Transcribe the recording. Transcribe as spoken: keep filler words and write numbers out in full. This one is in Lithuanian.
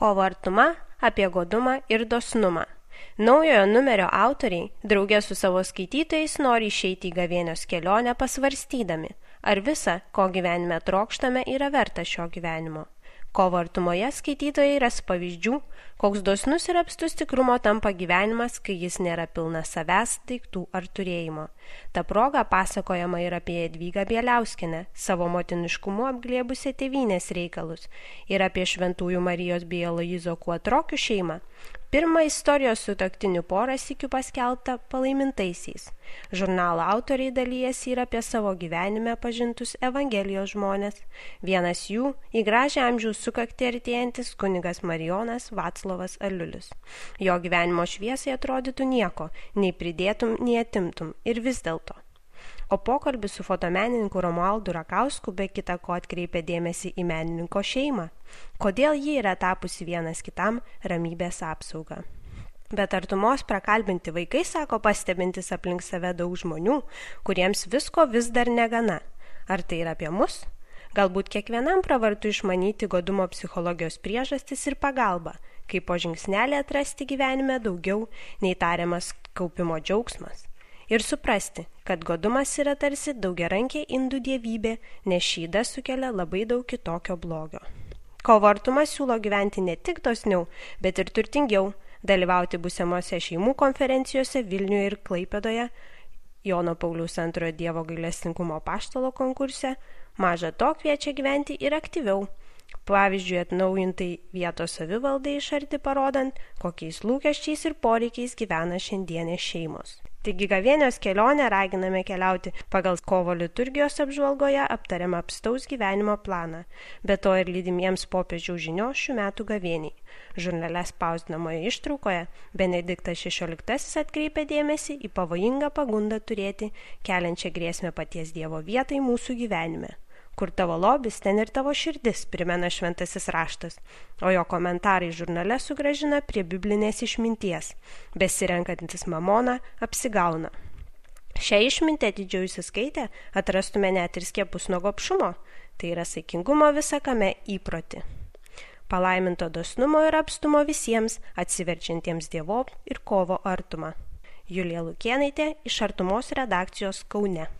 Kovo artuma apie godumą ir dosnumą. Naujojo numerio autoriai draugė su savo skaitytojais nori išeiti į gavėnios kelionę pasvarstydami, ar visa, ko gyvenime trokštame, yra verta šio gyvenimo. Kovo artumoje skaitytojai ras pavyzdžių, koks dosnus ir apstus tikrumo tampa gyvenimas, kai jis nėra pilnas savęs, daiktų ar turėjimo. Ta proga pasakojama ir apie Jadvygą Bieliauskienę, savo motiniškumu apglėbusią tėvynės reikalus, ir apie Šventųjų Marijos bei Aloyzo Kuotrokių šeimą. Pirmą istorijos sutuoktinių porą sykių paskelbta palaimintaisiais. Žurnalo autoriai dalijasi ir apie savo gyvenime pažintus Evangelijos žmonės. Vienas jų į gražią amžiaus sukaktį artėjantis kunigas Marijonas Vaclovas Aliulis. Jo gyvenimo šviesai atrodytų nieko, nei pridėtum, nei atimtum, ir vis dėlto. O pokalbis su fotomenininku Romualdu Rakausku be kita ko atkreipia dėmesį į menininko šeimą. Kodėl ji yra tapusi vienas kitam ramybės apsauga. Bet artumos prakalbinti vaikai sako pastebintis aplink save daug žmonių, kuriems visko vis dar negana. Ar tai yra apie mus? Galbūt kiekvienam pravartu išmanyti godumo psichologijos priežastis ir pagalbą, kaip po žingsnelį atrasti gyvenime daugiau nei tariamas kaupimo džiaugsmas. Ir suprasti, kad godumas yra tarsi daugiarankė indų dievybė, nes šydas sukelia labai daug kitokio blogio. Kovo artumas siūlo gyventi ne tik dosniau, bet ir turtingiau, dalyvauti būsimose šeimų konferencijose Vilniuje ir Klaipėdoje, Jono Pauliaus antrojo Dievo gailestingumo apaštalo konkurse, maža to kviečia gyventi ir aktyviau. Pavyzdžiui, atnaujintai vietos savivaldai iš arti parodant, kokiais lūkesčiais ir poreikiais gyvena šiandienės šeimos. Taigi gavėnios kelionę raginame keliauti pagal kovo liturgijos apžvalgoje aptariamą apstaus gyvenimo planą, be to ir lydimiems popiežiaus žinios šių metų gavėniai. Žurnale spausdinamoje ištraukoje Benediktas šešioliktasis atkreipia dėmesį į pavojingą pagundą turėti, keliančią grėsmę paties Dievo vietai mūsų gyvenime. Kur tavo lobis, ten ir tavo širdis, primena šventasis raštas, o jo komentarai žurnale sugrąžina prie biblinės išminties. Besirenkantis mamoną apsigauna. Šią išmintį atidžiau įsiskaitę atrastume net ir skiepus nuo gobšumo, tai yra saikingumo visakame įprotį. Palaiminto dosnumo ir apstumo visiems atsiverčiantiems Dievo ir kovo artumą. Julija Lukėnaitė iš Artumos redakcijos Kaune.